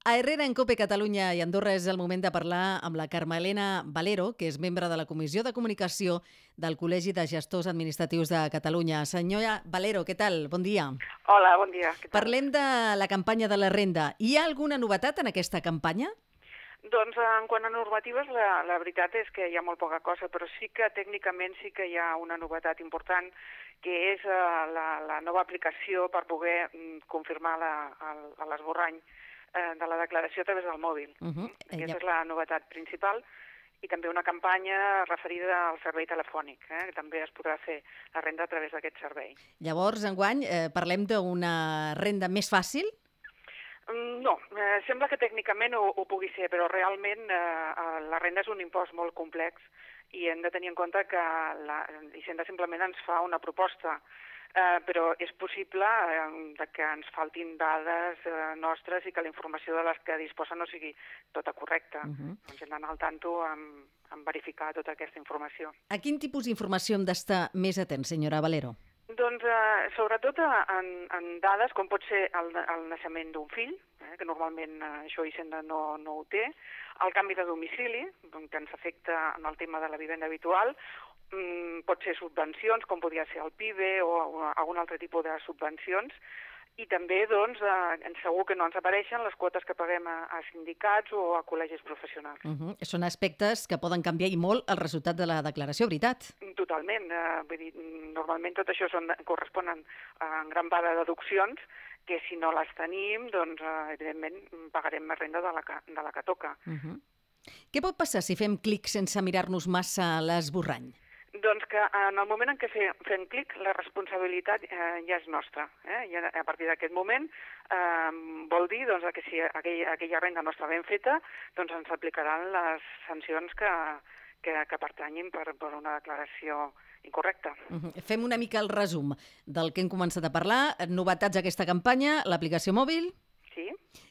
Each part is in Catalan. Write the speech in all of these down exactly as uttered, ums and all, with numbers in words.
A Herrera, en COPE Catalunya i Andorra és el moment de parlar amb la Carme Elena Valero, que és membre de la Comissió de Comunicació del Col·legi de Gestors Administratius de Catalunya. Senyora Valero, què tal? Bon dia. Hola, bon dia. Què tal? Parlem de la campanya de la renda. Hi ha alguna novetat en aquesta campanya? Doncs en quant a normatives, la, la veritat és que hi ha molt poca cosa, però sí que tècnicament sí que hi ha una novetat important, que és uh, la, la nova aplicació per poder mm, confirmar la, el, l'esborrany eh, de la declaració a través del mòbil. Uh -huh. Aquesta ja. és la novetat principal. I també una campanya referida al servei telefònic, eh, que també es podrà fer la renda a través d'aquest servei. Llavors, enguany, eh, parlem d'una renda més fàcil? No, eh, sembla que tècnicament ho, ho pugui ser, però realment eh, la renda és un impost molt complex i hem de tenir en compte que la Hisenda simplement ens fa una proposta, eh, però és possible eh, que ens faltin dades eh, nostres i que la informació de les que disposa no sigui tota correcta. Uh -huh. Doncs hem d'anar al tanto amb, amb verificar tota aquesta informació. A quin tipus d'informació hem d'estar més atents, senyora Valero? Doncs eh, sobretot en, en dades com pot ser el, el naixement d'un fill, eh, que normalment eh, això Hisenda no, no ho té, el canvi de domicili, que ens afecta en el tema de la vivenda habitual, mm, pot ser subvencions, com podria ser el P I B E o, o algun altre tipus de subvencions, i també, doncs, eh, segur que no ens apareixen les quotes que paguem a, a sindicats o a col·legis professionals. Uh -huh. Són aspectes que poden canviar i molt el resultat de la declaració, veritat? Totalment. Eh, vull dir, normalment tot això són, corresponen a en gran part de deduccions que si no les tenim, doncs, eh, evidentment, pagarem més renda de la que, de la que toca. Uh -huh. Què pot passar si fem clic sense mirar-nos massa l'esborrany? Doncs que en el moment en què fem, fem clic, la responsabilitat eh, ja és nostra. Eh? I a partir d'aquest moment eh, vol dir doncs, que si aquella, aquella renda no està ben feta, doncs ens aplicaran les sancions que, que, que pertanyin per, per una declaració incorrecta. Uh -huh. Fem una mica el resum del que hem començat a parlar. Novetats d'aquesta campanya, l'aplicació mòbil. Sí.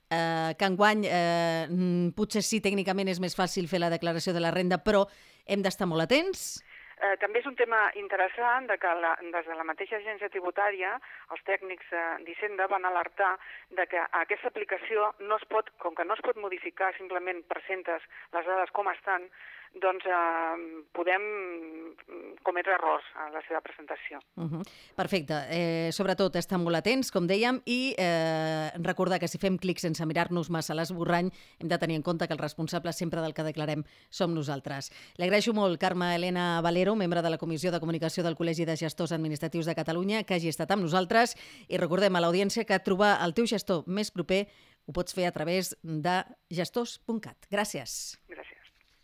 Eh, que enguany eh, potser sí, tècnicament és més fàcil fer la declaració de la renda, però hem d'estar molt atents. Eh, també és un tema interessant de que la, des de la mateixa agència tributària els tècnics eh, d'Hisenda van alertar de que aquesta aplicació no es pot, com que no es pot modificar, simplement presentes les dades com estan, doncs eh, podem cometre errors a la seva presentació. Uh -huh. Perfecte. Eh, sobretot estar molt atents, com dèiem, i eh, recordar que si fem clic sense mirar-nos massa l'esborrany hem de tenir en compte que el responsable sempre del que declarem som nosaltres. Li agraeixo molt, Carme Elena Valero, membre de la Comissió de Comunicació del Col·legi de Gestors Administratius de Catalunya, que hagi estat amb nosaltres, i recordem a l'audiència que trobar el teu gestor més proper ho pots fer a través de gestors punt cat. Gràcies.